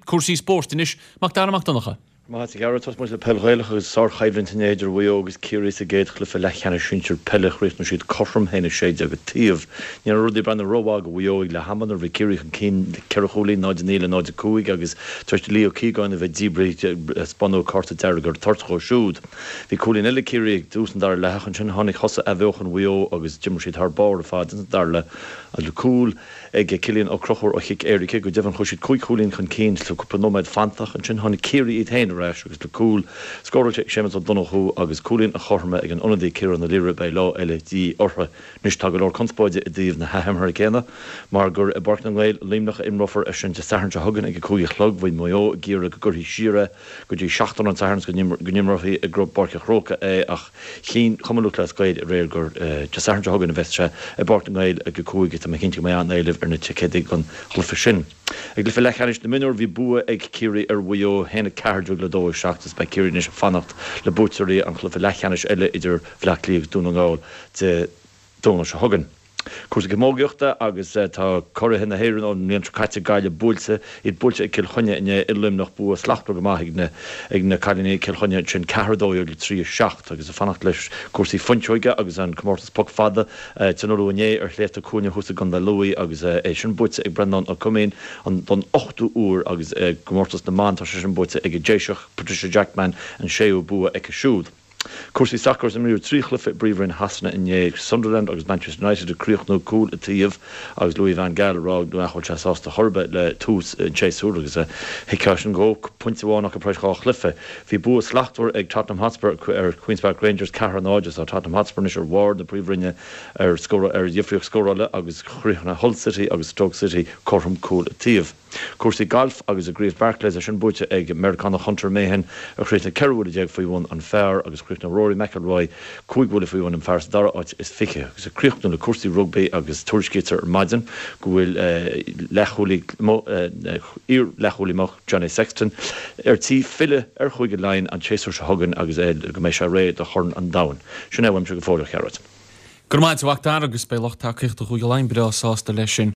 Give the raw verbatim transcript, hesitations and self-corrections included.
Cúrsaí spóirt anois, Mac Dara Mac Donncha. Maith agat, tosóidh muid le peil Ghaelach agus sárchoimhlint inné idir Mhaigh Eo agus Ciarraí sa gcéad chluiche leathcheannais sinsir peile. Chríochnaigh siad cothrom, a haon a sé déag an taobh. Ní raibh rudaí ag breathnú rómhaith do Mhaigh Eo ag leath ama nuair a bhí Ciarraí chun cinn le ceithre chúilín, náid a naoi le náid a cúig agus tar éis do Leo Keegan a bheith díbrithe spáineadh cárta dearg ar toirt dhó siúd. Bhí cúilín eile ag Ciarraí ag tús an dara leath ach ansin tháinig thosaithe athbheochan Mhaigh Eo agus d'imir siad thar barr ar fad ins an dara leath le cúl ag Cillian Ó Conchúir ó chic éirice. Go deimhin chuaigh siad cúig chúilín chun cinn le cúpla nóiméad fanta ach ansin tháinig Ciarraí iad féin ar ais agus le cúl scóráilte ag Séamus Ó Donnchú agus cúilín an chothroime ag an ionadaí Ciarán Ó Laoire beidh lá eile de dhíth orthu. Anois tá go leor conspóide i dtaobh na hathimeartha céanna mar gur i bPáirc na nGael i Luimneach a imreofar é sin Dé Sathairn seo chugainn ag a cúig a chlog. Bhí Maigh Eo ag iarraidh go gcuirfí siar é go dtí seachtain an tSathairn go n-imreofaí i bPáirc an Chrócaigh é ach chinn Cumann Lúthchleas Gael aréir gur Dé Sathairn seo chugainn a bheas sé i bPáirc na nGael ag a cúig. Tá mé cinnte go mbeidh an-éileamh ar na ticéadaí don chluiche sin. I gcluiche leathcheannais na mionúr bhí bua ag Ciarraí ar Mhaigh Eo, a haon a ceathair déag le dó a seacht agus beidh Ciarraí anois ag fanacht le buaiteoirí an chluiche leathcheannais eile idir Bhaile Átha Cliath agus Dún na nGall Dé Domhnaigh seo chugainn. Cúrsaí camógaíochta agus tá curaithe na hÉireann ón mbliain seo caite, Gaillimh, buailte, iad buailte ag Cill Chainnigh inné i Luimneach. Bua slachtmhar go maith ag na ag na cailíní ag Cill Chainnigh ansin, ceathair a dó dhéag le trí a seacht agus ag fanacht leis cúrsaí fuinseoige agus an comórtas poc fada tionóladh inné ar Shléibhte Cuaine thuas i gContae Lú agus é sin buaite ag Breandán Ó Coimín an don ochtú uair agus i gcomórtas na mban tá sé sin buaite ag an Déiseach Patricia Jackman an séú bua aici siúd. Cúrsaí sacair is imríodh trí chluiche i bPríomhroinn Shasana inné, Sunderland agus Manchester United ag críochnú cúl an taobh agus Louis van Gaal ag rá nach bhfuil sé sásta chor ar bith le tús an tséasúir agus thuigfeá sin dhó, pointe amháin acu tar éis dhá chluiche. Bhí bua slachtmhar ag Tottenham Hotspur ar Queens Park Rangers, ceathair a náid, agus tá Tottenham Hotspur anois ar bharr na Príomhroinne ar ar dhifríocht scórála agus chríochnaigh Hull City agus Stoke City cothrom cúl an taobh. Cúrsaí gailf agus i gCraobh Barclays é sin buaite ag Meiriceánach Hunter Mahan a chríochnaigh ceithre bhuille déag faoi bhun an phar agus chríochnaigh Rory McIlroy cúig bhuille faoi bhun an phar sa dara háit is fiche. Agus ag críochnú le cúrsaí rugbaí agus tuairiscítear ar maidin go bhfuil leathchúlaí iar-leathchúlaí amuigh Johnny Sexton ar tí filleadh ar Chúige Laighean an tséasúr seo chugainn agus go mbeidh sé réidh do Chorn an Domhain. Sin é uaimse go fóill, a Ghearóid. Go raibh maith agat, a Mhac Dara, agus beidh lucht tacaíochta Chúige Laighean breá sásta leis sin.